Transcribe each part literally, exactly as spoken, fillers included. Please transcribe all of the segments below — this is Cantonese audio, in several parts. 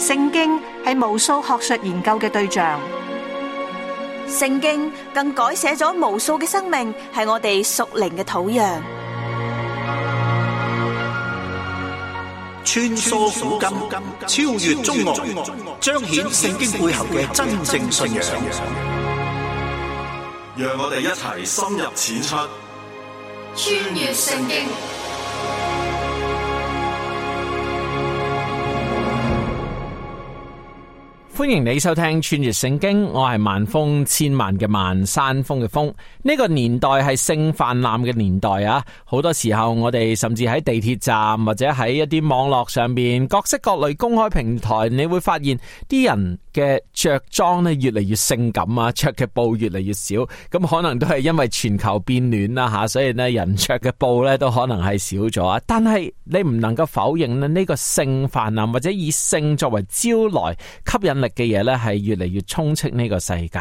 聖經係無數學術研究嘅對象，聖經更改寫咗無數嘅生命，係我哋屬靈嘅土壤。穿梭古今，超越中外，彰顯聖經背後嘅真正信仰。讓我哋一齊深入淺出，穿越聖經。歡迎你收聽穿越聖經，我係萬峰千萬嘅萬山峰嘅峰。呢個年代係性泛濫嘅年代啊！好多時候我哋甚至喺地鐵站或者喺一啲網絡上邊各式各類公開平台，你會發現啲人嘅着裝咧越嚟越性感啊，着嘅布越嚟越少。咁可能都係因為全球變暖啦吓，所以咧人着嘅布咧都可能係少咗啊。但係你唔能夠否認咧，呢個性泛濫或者以性作為招來吸引力嘅嘢咧，係越嚟越充斥呢個世界。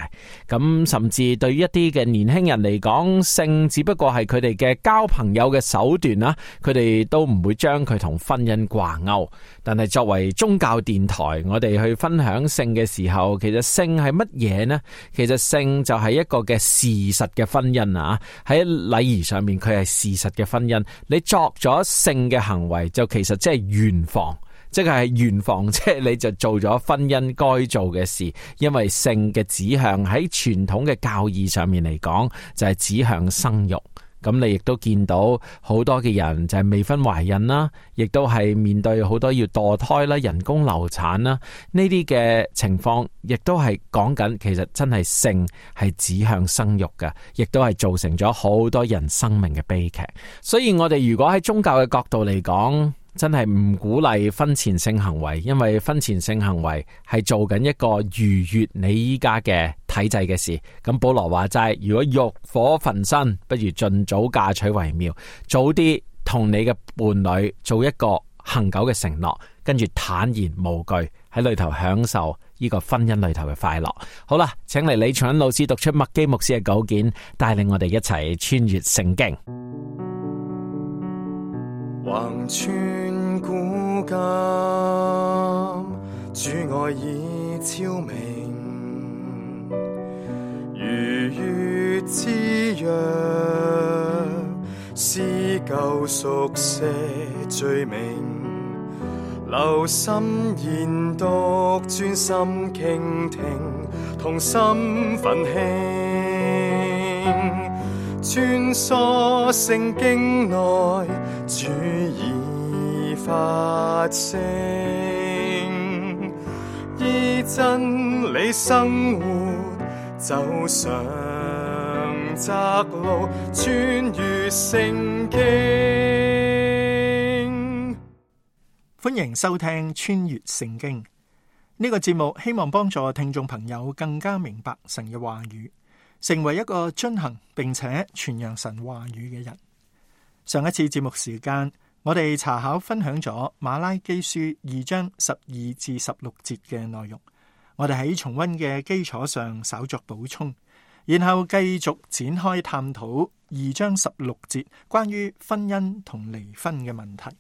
咁甚至對於一啲嘅年輕人嚟講，性只不過係佢哋嘅交朋友嘅手段啦，佢哋都唔會將佢同婚姻掛鈎。但係作為宗教電台，我哋去分享性嘅時候，其實性係乜嘢呢？其實性就係一個嘅事實嘅婚姻啊！喺禮儀上面，佢係事實嘅婚姻。你作咗性嘅行為，就其實即係圓房。即係圓房，即係你就做咗婚姻該做嘅事，因為性嘅指向喺傳統嘅教義上面嚟講，就係指向生育。咁你亦都見到好多嘅人就係未婚懷孕啦，亦都係面對好多要墮胎啦、人工流產啦，呢啲嘅情況，亦都係講緊其實真係性係指向生育嘅，亦都係造成咗好多人生命嘅悲劇。所以我哋如果喺宗教嘅角度嚟講，真係唔鼓勵婚前性行為，因為婚前性行為係做緊一個逾越你依家嘅體制嘅事。咁保羅話齋，如果欲火焚身，不如盡早嫁娶為妙，早啲同你嘅伴侶做一個恆久嘅承諾，跟住坦然無懼喺裏頭享受呢個婚姻裏頭嘅快樂。好啦，請嚟李長恩老師讀出麥基牧師嘅稿件，帶領我哋一齊穿越聖經。橫穿古今，主愛已超明，如月之約，撕救贖赦罪名，留心研讀，專心傾聽，同心奮興，穿梭聖經內，主已發聲，依真理生活，走上窄路，穿越聖經。歡迎收聽穿越聖經呢個節目，希望幫助聽眾朋友更加明白神嘅話語，成為一個遵行並且傳揚神話語嘅人。上一次節目時間，我哋查考分享咗馬拉基書二章十二至十六節嘅內容，我哋喺重溫嘅基礎上稍作補充，然後繼續展開探討二章十六節關於婚姻同離婚嘅問題。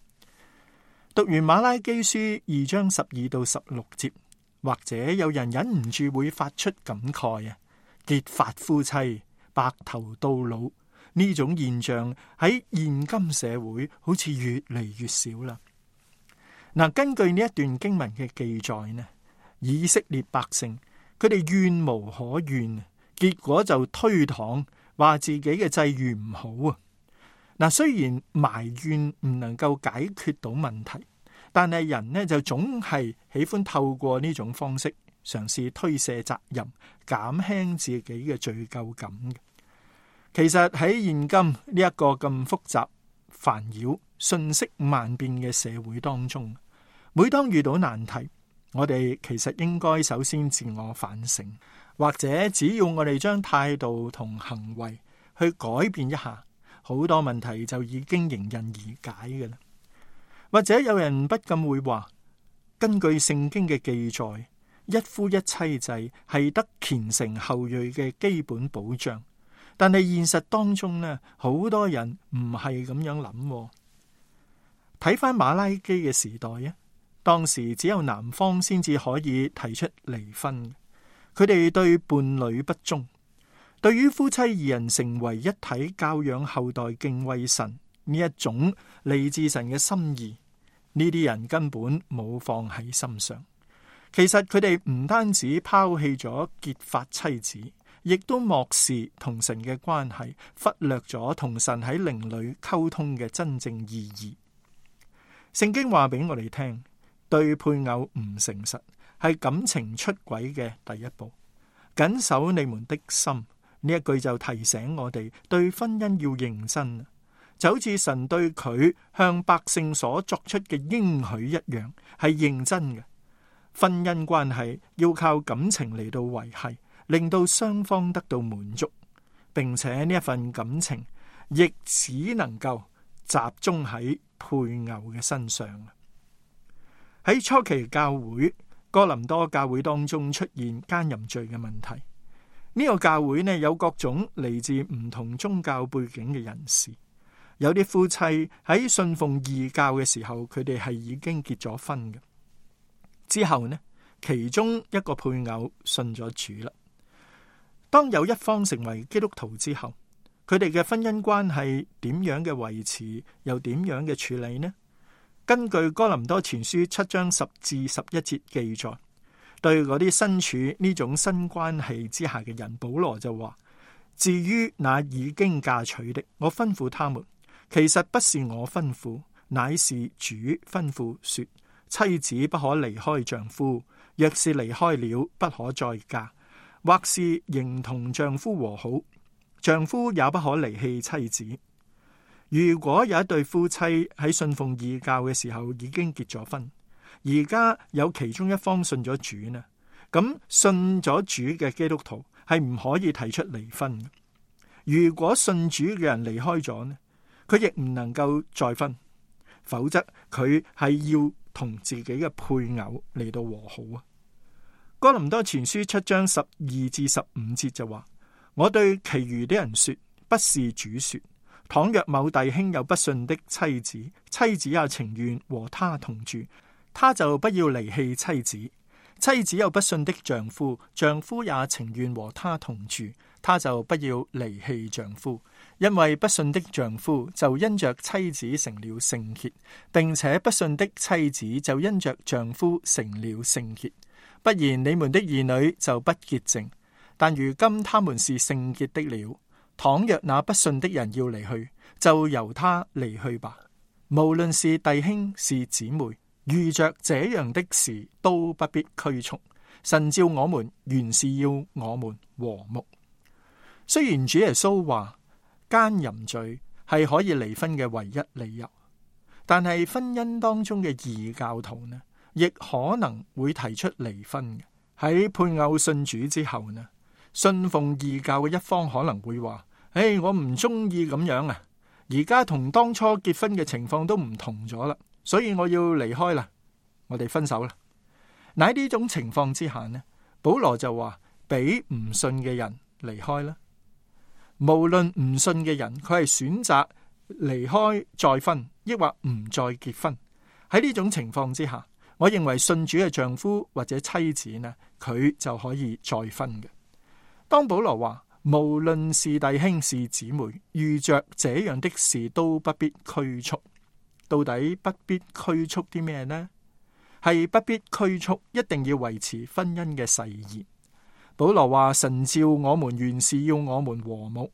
讀完馬拉基書二章十二到十六節，或者有人忍唔住會發出感慨啊，結髮夫妻白頭到老，呢種現象喺現今社會好似越嚟越少啦。嗱，根據呢一段經文嘅記載呢，以色列百姓佢哋怨無可怨，結果就推搪話自己嘅際遇唔好啊。嗱，雖然埋怨唔能夠解決到問題，但係人呢就總係喜歡透過呢種方式嘗試推卸責任，減輕自己嘅罪疚感嘅。其實喺現今呢一個咁複雜、煩擾、瞬息萬變嘅社會當中，每當遇到難題，我哋其實應該首先自我反省，或者只要我哋將態度同行為去改變一下，好多問題就已經迎刃而解嘅啦。或者有人不禁會話，根據聖經嘅記載，一夫一妻制係得虔誠後裔嘅基本保障。但係現實當中呢，好多人唔係咁樣諗。睇翻馬拉基嘅時代啊，當時只有男方先至可以提出離婚。佢哋對伴侶不忠，對於夫妻二人成為一體、教養後代、敬畏神呢一種嚟自神嘅心意，呢啲人根本冇放喺心上。其實佢哋唔單止拋棄咗結髮妻子，亦都漠視同神嘅關係，忽略咗同神喺靈裏溝通嘅真正意義。聖經話俾我哋聽，對配偶唔誠實係感情出軌嘅第一步。謹守你們的心，呢一句就提醒我哋對婚姻要認真，就好似神對佢向百姓所作出嘅應許一樣，係認真嘅。婚姻關係要靠感情嚟到維繫，令到雙方得到滿足，並且呢一份感情亦只能夠集中喺配偶嘅身上。喺初期教會，哥林多教會當中出現奸淫罪嘅問題。呢個教會呢，有各種嚟自唔同宗教背景嘅人士，有啲夫妻喺信奉異教嘅時候，佢哋係已經結咗婚嘅。之後呢，其中一個配偶信咗主啦。當有一方成為基督徒之後，佢哋嘅婚姻關係點樣嘅維持，又點樣嘅處理呢？根據哥林多前書七章十至十一節記載，對嗰啲身處呢種新關係之下嘅人，保羅就話：至於那已經嫁娶的，我吩咐他們，其實不是我吩咐，乃是主吩咐說，妻子不可離開丈夫，若是離開了，不可再嫁，或是仍同丈夫和好，丈夫也不可離棄妻子。如果有一對夫妻喺信奉異教嘅時候已經結咗婚，而家有其中一方信咗主呢，咁信咗主嘅基督徒係唔可以提出離婚嘅。如果信主嘅人離開咗呢，佢亦唔能夠再婚，否則佢係要同自己嘅配偶嚟到和好啊。哥林多前書七章十二至十五節就話：我對其餘的人說，不是主說，倘若某弟兄有不信的妻子，妻子也情願和他同住，他就不要離棄妻子；妻子有不信的丈夫，丈夫也情願和他同住，他就不要離棄丈夫。因為不信的丈夫就因着妻子成了聖潔，並且不信的妻子就因着丈夫成了聖潔。不然你們的兒女就不潔淨，但如今他們是聖潔的了。倘若那不信的人要離去，就由他離去吧。無論是弟兄是姊妹，遇着這樣的事都不必拘束。神召我們原是要我們和睦。雖然主耶穌話奸淫罪係可以離婚嘅唯一理由，但係婚姻當中嘅異教徒呢，亦可能會提出離婚嘅。喺配偶信主之後呢，信奉異教嘅一方可能會話：誒，我唔中意咁樣啊！而家同當初結婚嘅情況都唔同咗啦，所以我要離開啦，我哋分手啦。喺呢種情況之下呢，保羅就話俾唔信嘅人離開啦。無論唔信嘅人，佢係選擇離開再婚，抑或唔再結婚。喺呢種情況之下，我認為信主嘅丈夫或者妻子呢，佢就可以再婚嘅。當保羅話無論是弟兄是姊妹，遇着這樣的事都不必拘束，到底不必拘束啲咩呢？係不必拘束，一定要維持婚姻嘅誓言。保羅話神召我們原是要我們和睦。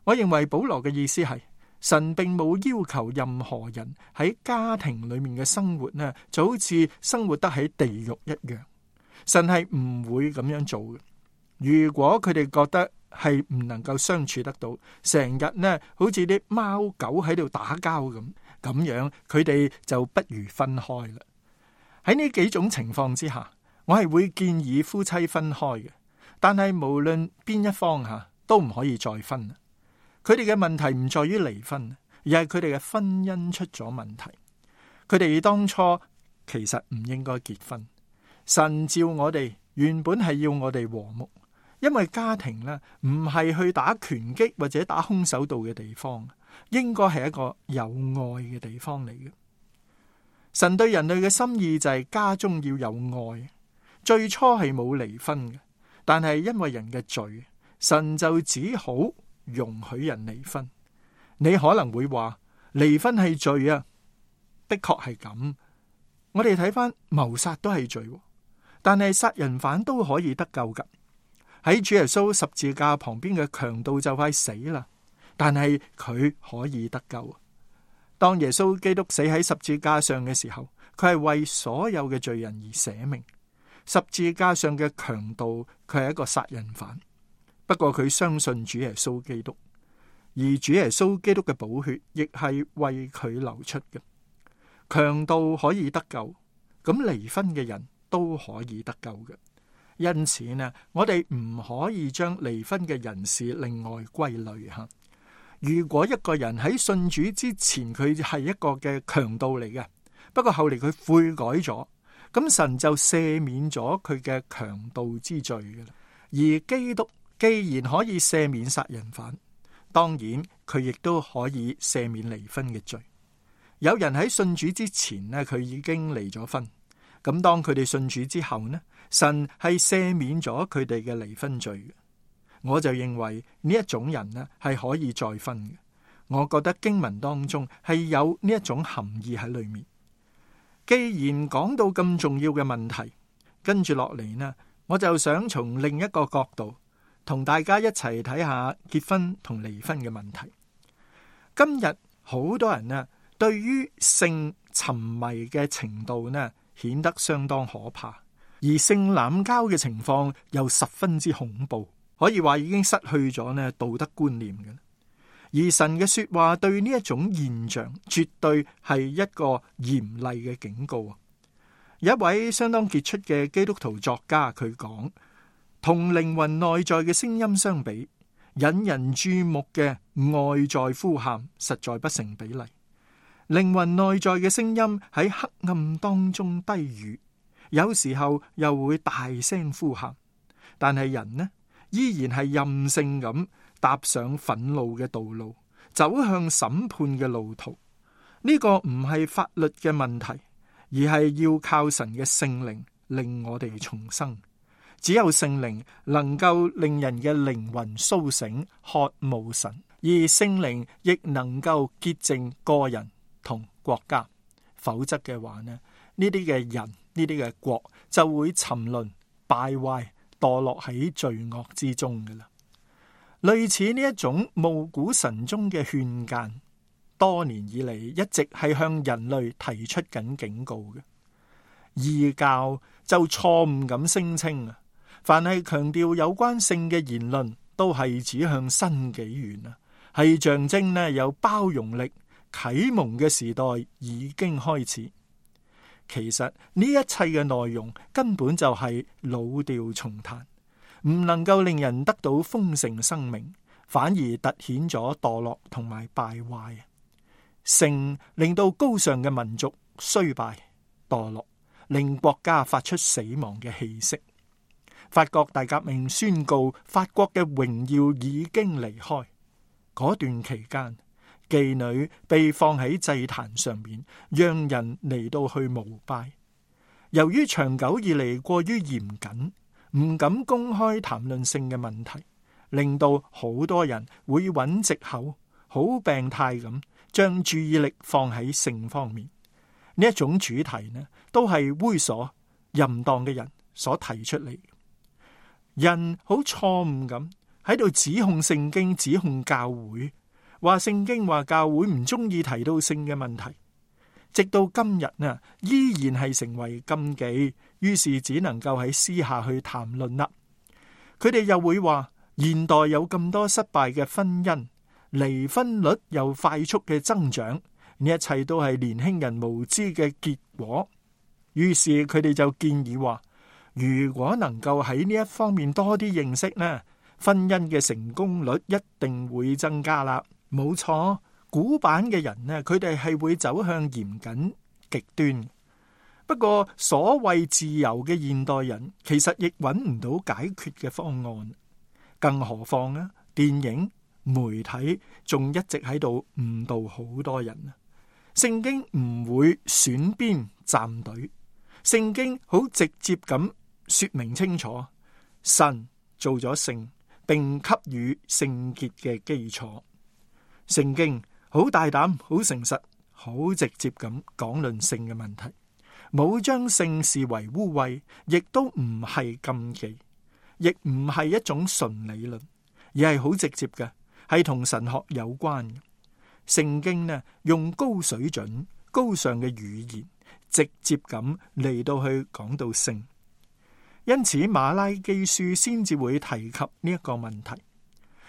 我認為保羅嘅意思係神並冇要求任何人喺家庭裏面嘅生活呢，就好似生活得喺地獄一樣。神係唔會咁樣做嘅。如果佢哋覺得係唔能夠相處得到，成日呢好似啲貓狗喺度打交咁，咁樣佢哋就不如分開啦。喺呢幾種情況之下，我係會建議夫妻分開嘅。但係無論邊一方吓，都唔可以再婚。佢哋嘅問題唔在於離婚，而係佢哋嘅婚姻出咗問題。佢哋當初其實唔應該結婚。神召我哋原本係要我哋和睦，因為家庭呢唔係去打拳擊或者打空手道嘅地方，應該係一個有愛嘅地方嚟嘅。神對人類嘅心意就係家中要有愛，最初係冇離婚嘅，但係因為人嘅罪，神就只好容許人離婚。你可能會話離婚係罪啊，的確係咁。我哋睇翻謀殺都係罪，但係殺人犯都可以得救噶。喺主耶穌十字架旁邊嘅強盜就快死啦，但係佢可以得救。當耶穌基督死喺十字架上嘅時候，佢係為所有嘅罪人而捨命。十字架上嘅強盜，佢係一個殺人犯，不過佢相信主耶穌基督，而主耶穌基督嘅寶血亦係為佢流出嘅。強盜可以得救，咁離婚嘅人都可以得救嘅。因此呢，我哋唔可以將離婚嘅人士另外歸類吓。如果一個人喺信主之前，佢係一個嘅強盜嚟嘅，不過後嚟佢悔改咗，咁神就赦免咗佢嘅強盜之罪嘅啦。而基督既然可以赦免殺人犯，當然佢亦都可以赦免離婚嘅罪。有人喺信主之前呢，佢已經離咗婚，咁當佢哋信主之後呢，神係赦免咗佢哋嘅離婚罪嘅。我就認為呢一種人呢係可以再婚嘅。我覺得經文當中係有呢一種含義喺裏面。既然講到咁重要嘅問題，跟住落嚟呢，我就想從另一個角度同大家一齊睇下結婚同離婚嘅問題。今日好多人呢對於性沉迷嘅程度呢顯得相當可怕，而性濫交嘅情況又十分之恐怖。可以話已經失去咗呢道德觀念嘅，而神嘅說話對呢一種現象絕對係一個嚴厲嘅警告。有一位相當傑出嘅基督徒作家，佢講，同靈魂內在嘅聲音相比，引人注目嘅外在呼喊實在不成比例。靈魂內在嘅聲音喺黑暗當中低語，有時候又會大聲呼喊，但係人呢依然係任性咁踏上憤怒嘅道路，走向審判嘅路途。呢個唔係法律嘅問題，而係要靠神嘅聖靈令我哋重生。只有聖靈能夠令人嘅靈魂蘇醒，渴慕神，而聖靈亦能夠潔淨個人同國家。否則嘅話呢，呢啲嘅人，呢啲嘅國就會沉淪敗壞，墮落喺罪惡之中嘅啦。類似呢一種暮鼓晨鐘嘅勸諫，多年以嚟一直係向人類提出緊警告嘅。異教就錯誤咁聲稱啊，凡係強調有關性嘅言論，都係指向新紀元啊，係象徵呢有包容力，啟蒙嘅時代已經開始。其實呢一切嘅內容根本就係老調重彈，唔能夠令人得到豐盛生命，反而凸顯咗墮落同埋敗壞。性令到高尚嘅民族衰敗墮落，令國家發出死亡嘅氣息。法國大革命宣告法國嘅榮耀已經離開。嗰段期間，妓女被放喺祭壇上面，讓人嚟到去膜拜。由於長久以嚟過於嚴謹，唔敢公開談論性嘅問題，令到好多人會揾藉口，好病態咁將注意力放喺性方面。呢一種主題呢，都係猥瑣淫蕩嘅人所提出嚟。人好錯誤咁喺度指控聖經，指控教會。話聖經話教會唔中意提到性嘅問題，直到今日啊，依然係成為禁忌，於是只能夠喺私下去談論啦。佢哋又會話現代有咁多失敗嘅婚姻，離婚率又快速嘅增長，呢一切都係年輕人無知嘅結果。於是佢哋就建議話，如果能夠喺呢一方面多啲認識呢，婚姻嘅成功率一定會增加啦。冇錯，古板嘅人呢，佢哋係會走向嚴謹極端。不過所謂自由嘅現代人，其實亦揾唔到解決嘅方案。更何況啊，電影媒體仲一直喺度誤導好多人啊。聖經唔會選邊站隊，聖經好直接咁說明清楚，神做咗聖，並給予聖潔嘅基礎。聖經好大膽、好誠實、好直接咁講論性嘅問題，冇將性視為污穢，亦都唔係禁忌，亦唔係一種純理論，而係好直接嘅，係同神學有關嘅。聖經呢，用高水準、高尚嘅語言，直接咁嚟到去講到性，因此馬拉基書先至會提及呢一個問題。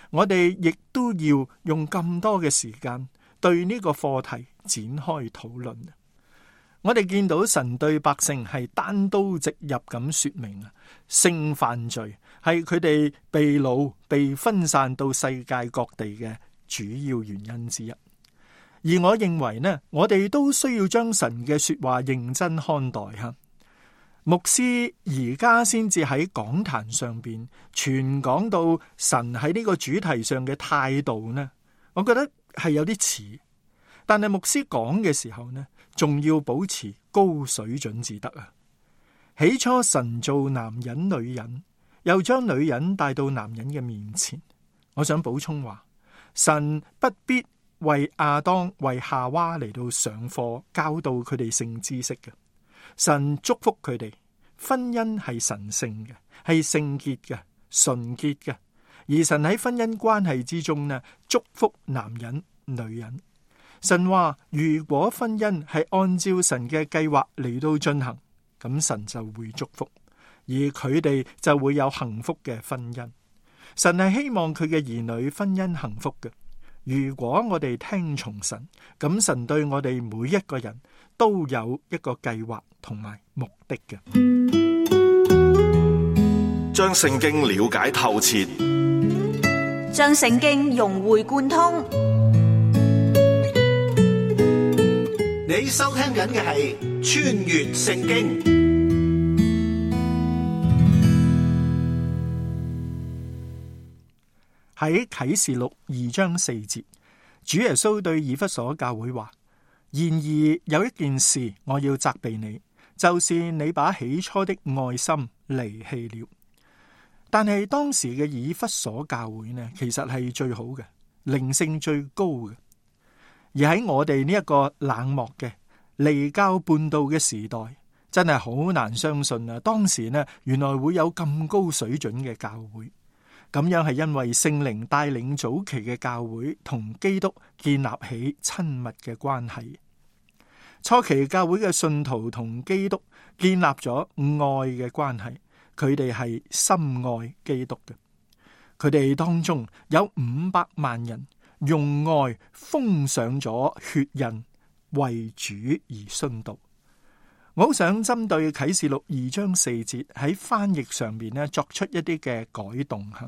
我哋亦都要用咁多嘅時間對呢個課題展開討論。我哋見到神對百姓係單刀直入咁說明啊，性犯罪係佢哋被擄、被分散到世界各地嘅主要原因之一。而我認為呢，我哋都需要將神嘅說話認真看待吓。牧師而家先至喺講壇上邊全講到神喺呢個主題上嘅態度呢，我覺得係有啲遲。但係牧師講嘅時候呢，仲要保持高水準至得啊。起初神造男人女人，又將女人帶到男人嘅面前。我想補充話，神不必為亞當為夏娃嚟到上課教導佢哋性知識嘅。神祝福佢哋，婚姻係神聖嘅，係聖潔嘅，純潔嘅。而神喺婚姻關係之中呢，祝福男人、女人。神話如果婚姻係按照神嘅計劃嚟到進行，咁神就會祝福，而佢哋就會有幸福嘅婚姻。神係希望佢嘅兒女婚姻幸福嘅。如果我哋聽從神，咁神對我哋每一個人都有一個計劃同埋目的嘅。將聖經了解透徹，將聖經融會貫通。你收聽緊嘅係《穿越聖經》。喺啟示錄二章四節，主耶穌對以弗所教會話：然而有一件事我要責備你，就是你把起初的愛心離棄了。但係當時嘅以弗所教會呢，其實係最好嘅，靈性最高嘅。而喺我哋呢一個冷漠嘅離教叛道嘅時代，真係好難相信啊！當時呢，原來會有咁高水準嘅教會。咁樣係因為聖靈帶領早期嘅教會同基督建立起親密嘅關係。初期教會嘅信徒同基督建立咗愛嘅關係，佢哋係深愛基督嘅。佢哋當中有五百萬人用愛封上咗血印，為主而殉道。我好想針對啟示錄二章四節喺翻譯上面咧作出一啲嘅改動吓。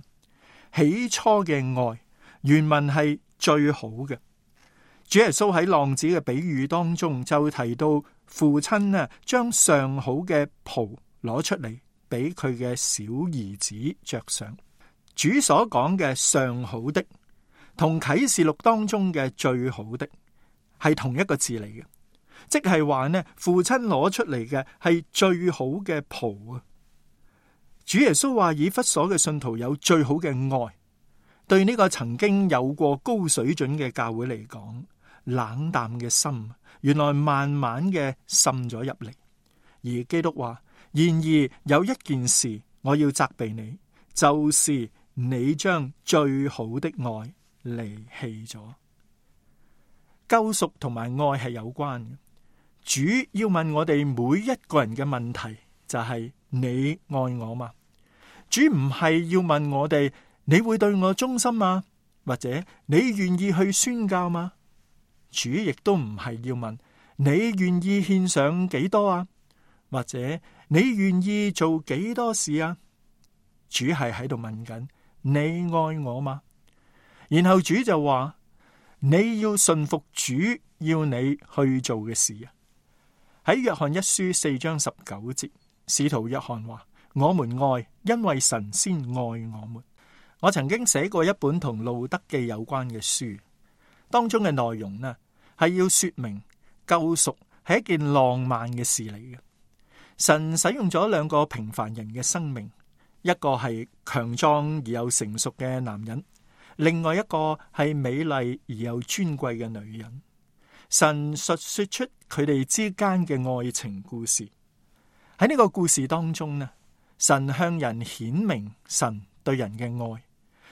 起初嘅愛原文係最好嘅。主耶穌喺浪子嘅比喻當中就提到父親啊，將上好嘅袍攞出嚟俾佢嘅小兒子着上。主所講嘅上好的同啟示錄當中嘅最好的係同一個字嚟嘅，即係話呢，父親攞出嚟嘅係最好嘅袍啊。主耶穌話以弗所嘅信徒有最好嘅愛，對呢個曾經有過高水準嘅教會嚟講，冷淡嘅心原來慢慢嘅滲咗入嚟。而基督話：然而有一件事我要責備你，就是你將最好的愛離棄咗。救贖同埋愛係有關嘅。主要問我哋每一個人嘅問題就係：你愛我嗎？主唔係要問我哋你會對我忠心嗎？或者你願意去宣教嗎？主亦都唔係要問你願意獻上幾多啊？或者你願意做幾多事啊？主係喺度問緊你愛我嗎？然後主就話你要順服主要你去做嘅事啊。喺約翰一書四章十九節，使徒約翰話：我們愛，因為神先愛我們。我曾經寫過一本同路德記有關嘅書，當中嘅內容呢係要說明救贖係一件浪漫嘅事嚟嘅。神使用咗兩個平凡人嘅生命，一個係強壯而又成熟嘅男人，另外一個係美麗而又尊貴嘅女人。神述說出佢哋之間嘅愛情故事。喺呢個故事當中呢，神向人顯明神對人嘅愛，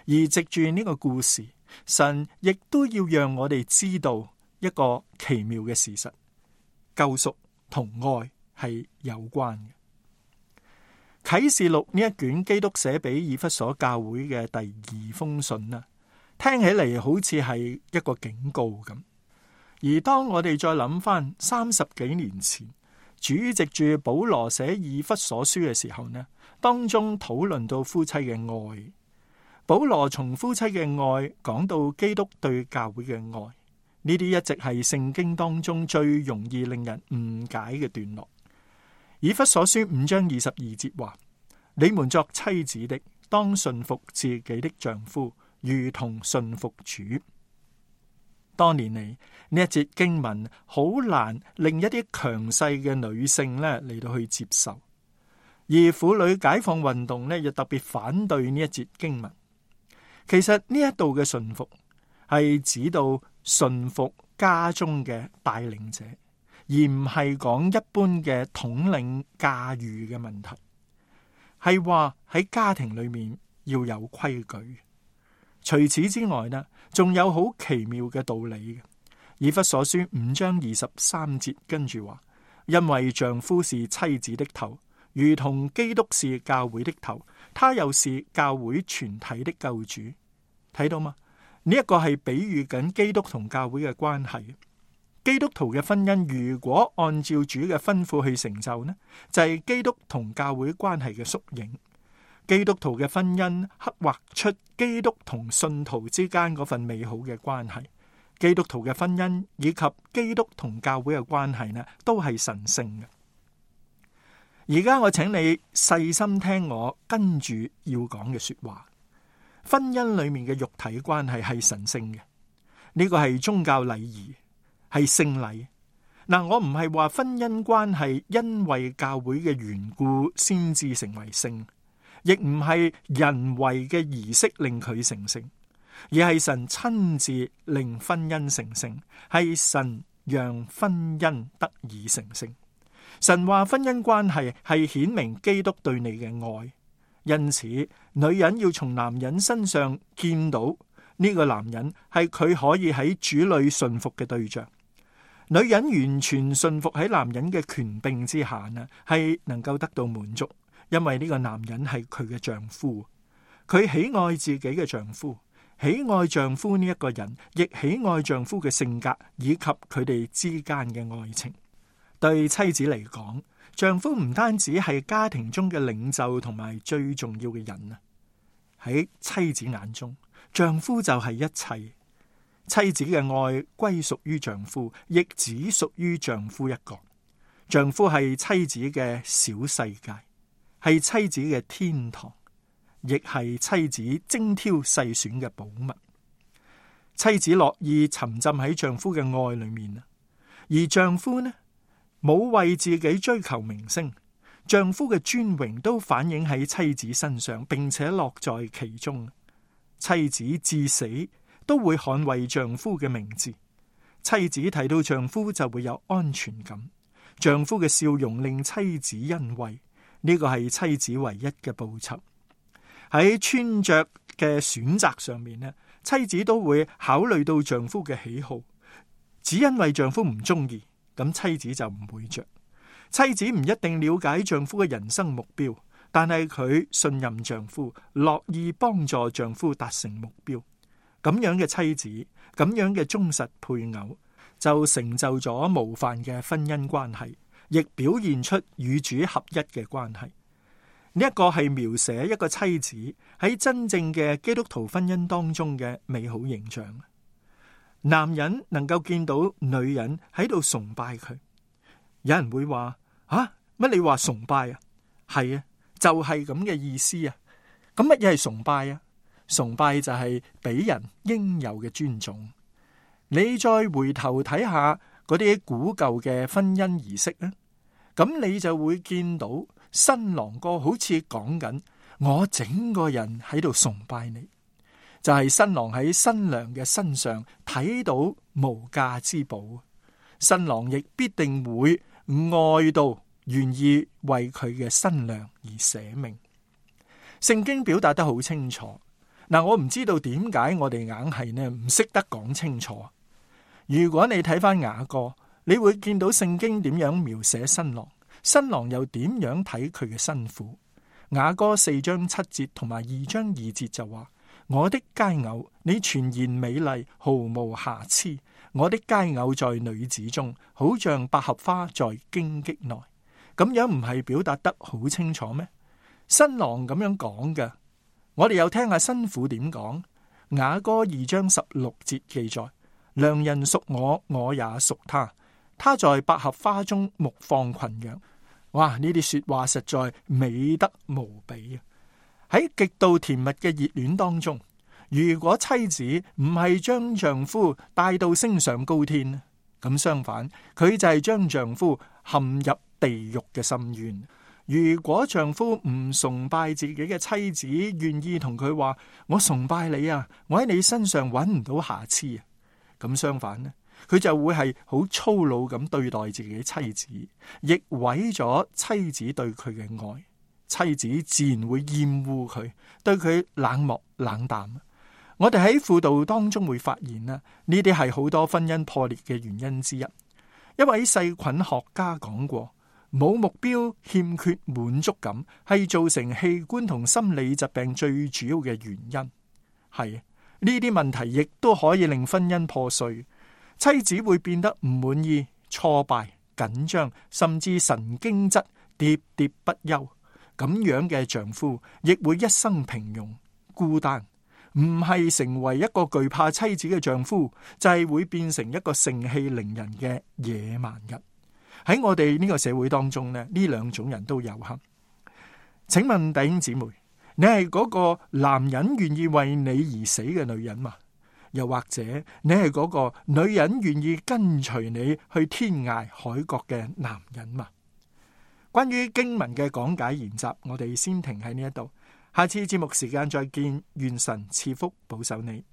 而藉住呢個故事，神亦都要讓我哋知道一個奇妙嘅事實：救贖同愛係有關嘅。啟示錄呢一卷基督寫俾以弗所教會嘅第二封信啊，聽起嚟好似係一個警告咁。而當我哋再諗翻三十幾年前，主藉住保羅寫以弗所書嘅時候呢，當中討論到夫妻嘅愛。保羅從夫妻嘅愛講到基督對教會嘅愛，呢啲一直係聖經當中最容易令人誤解嘅段落。以弗所書五章二十二節話：你們作妻子的，當順服自己的丈夫，如同順服主。多年嚟，呢一節經文好難令一啲強勢嘅女性咧嚟到去接受，而婦女解放運動咧又特別反對呢一節經文。其實呢一度嘅順服係指到順服家中嘅帶領者，而唔係講一般嘅統領駕馭嘅問題，係話喺家庭裏面要有規矩。除此之外呢，仲有好奇妙嘅道理嘅。以弗所書五章二十三節跟住話：因為丈夫是妻子的頭，如同基督是教會的頭，他又是教會全體的救主。睇到嗎？呢一個係比喻緊基督同教會嘅關係。基督徒嘅婚姻如果按照主嘅吩咐去成就呢，就係基督同教會關係嘅縮影。基督徒嘅婚姻刻畫出基督同信徒之間嗰份美好嘅關係。基督徒嘅婚姻以及基督同教會嘅關係呢，都係神聖嘅。而家我請你細心聽我跟住要講嘅說話。婚姻裏面嘅肉體關係係神聖嘅，呢個係宗教禮儀，係聖禮。嗱，我唔係話婚姻關係因為教會嘅緣故先至成為聖，亦唔係人為嘅儀式令佢成聖，而係神親自令婚姻成聖，係神讓婚姻得以成聖。神話婚姻關係係顯明基督對你嘅愛，因此女人要從男人身上見到呢個男人係佢可以喺主裏順服嘅對象。女人完全順服喺男人嘅權柄之下呢，係能夠得到滿足，因為呢個男人係佢嘅丈夫，佢喜愛自己嘅丈夫，喜愛丈夫呢一個人，亦喜愛丈夫嘅性格以及佢哋之間嘅愛情。對妻子嚟講，丈夫唔單止係家庭中嘅領袖同埋最重要嘅人啊，喺妻子眼中，丈夫就係一切。妻子嘅愛歸屬於丈夫，亦只屬於丈夫一個。丈夫係妻子嘅小世界，係妻子嘅天堂，亦係妻子精挑細選嘅寶物。妻子樂意沉浸喺丈夫嘅愛裏面啊，而丈夫呢，冇為自己追求名聲，丈夫嘅尊榮都反映喺妻子身上，並且樂在其中。妻子至死都會捍衛丈夫嘅名字，妻子睇到丈夫就會有安全感，丈夫嘅笑容令妻子欣慰，呢個係妻子唯一嘅報酬。喺穿着嘅選擇上面呢，妻子都會考慮到丈夫嘅喜好，只因為丈夫唔中意，咁妻子就唔會着。妻子唔一定了解丈夫嘅人生目標，但係佢信任丈夫，樂意幫助丈夫達成目標。咁樣嘅妻子，咁樣嘅忠實配偶，就成就咗模範嘅婚姻關係，亦表現出與主合一嘅關係。呢一個係描寫一個妻子喺真正嘅基督徒婚姻當中嘅美好形象。男人能夠見到女人喺度崇拜佢，有人會話：啊，乜你話崇拜啊？係啊，就係咁嘅意思啊。咁乜嘢係崇拜啊？崇拜就係俾人應有嘅尊重。你再回頭睇下嗰啲古舊嘅婚姻儀式咧，咁你就會見到新郎哥好似講緊，我整個人喺度崇拜你，就係新郎喺新娘嘅身上睇到無價之寶，新郎亦必定會愛到願意為佢嘅新娘而捨命。聖經表達得好清楚，嗱，我唔知道點解我哋硬係呢唔識得講清楚。如果你睇翻雅歌，你會見到聖經點樣描寫新郎，新郎又點樣睇佢嘅新婦。雅歌四章七節同埋二章二節就話：我的佳偶，你全然美麗，毫無瑕疵。我的佳偶在女子中，好像百合花在荊棘內。咁樣唔係表達得好清楚咩？新郎咁樣講嘅，我哋又聽下新婦點講。雅歌二章十六節記載：良人屬我，我也屬他。他在百合花中牧放群羊。哇！呢啲說話實在美得無比啊！喺極度甜蜜嘅熱戀當中，如果妻子唔係將丈夫帶到升上高天，咁相反，佢就係將丈夫陷入地獄嘅深淵。如果丈夫唔崇拜自己嘅妻子，願意同佢話：我崇拜你啊，我喺你身上揾唔到瑕疵啊，咁相反呢，佢就會係好粗魯咁對待自己妻子，亦毀咗妻子對佢嘅愛。妻子自然會厭惡佢，對佢冷漠冷淡。我哋喺輔導當中會發現啦，呢啲係好多婚姻破裂嘅原因之一。一位細菌學家講過，冇目標、欠缺滿足感係造成器官同心理疾病最主要嘅原因。係呢啲問題亦都可以令婚姻破碎。妻子會變得唔滿意、挫敗、緊張，甚至神經質、喋喋不休。咁樣嘅丈夫亦會一生平庸、孤單，唔係成為一個懼怕妻子嘅丈夫，就係會變成一個盛氣凌人嘅野蠻人。喺我哋呢個社會當中呢，呢兩種人都有幸。請問弟兄姊妹，你係嗰個男人願意為你而死嘅女人嘛？又或者你係嗰個女人願意跟隨你去天涯海角嘅男人嘛？關於經文嘅講解研習，我哋先停喺呢一度，下次節目時間再見，願神賜福保守你。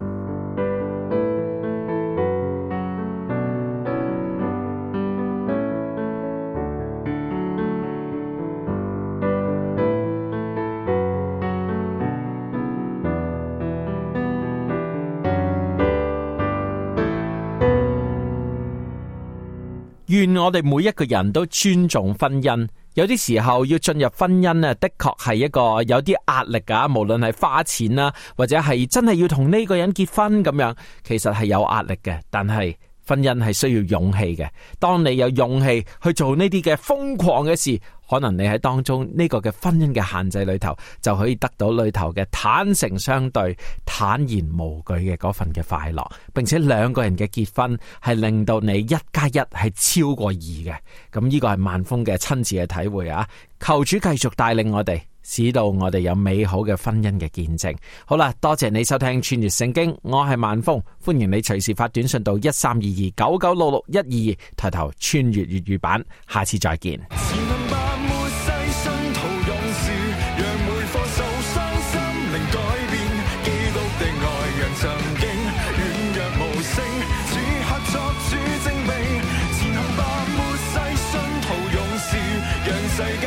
願我哋每一個人都尊重婚姻。有啲時候要進入婚姻呢，的確係一個有啲壓力噶，無論係花錢啦，或者係真係要同呢個人結婚咁樣，其實係有壓力嘅。但係婚姻係需要勇氣嘅。當你有勇氣去做呢啲嘅瘋狂嘅事，可能你喺當中呢個嘅婚姻嘅限制裏頭，就可以得到裏頭嘅坦誠相對、坦然無懼嘅嗰份嘅快樂，並且兩個人嘅結婚係令到你一加一係超過二嘅。咁呢個係萬峰嘅親自嘅體會啊！求主繼續帶領我哋，使到我哋有美好嘅婚姻嘅見證。好啦，多謝你收聽穿越聖經，我係萬峰，歡迎你隨時發短信到一三二二九九六六一二二，抬頭穿越粵語版，下次再見。世界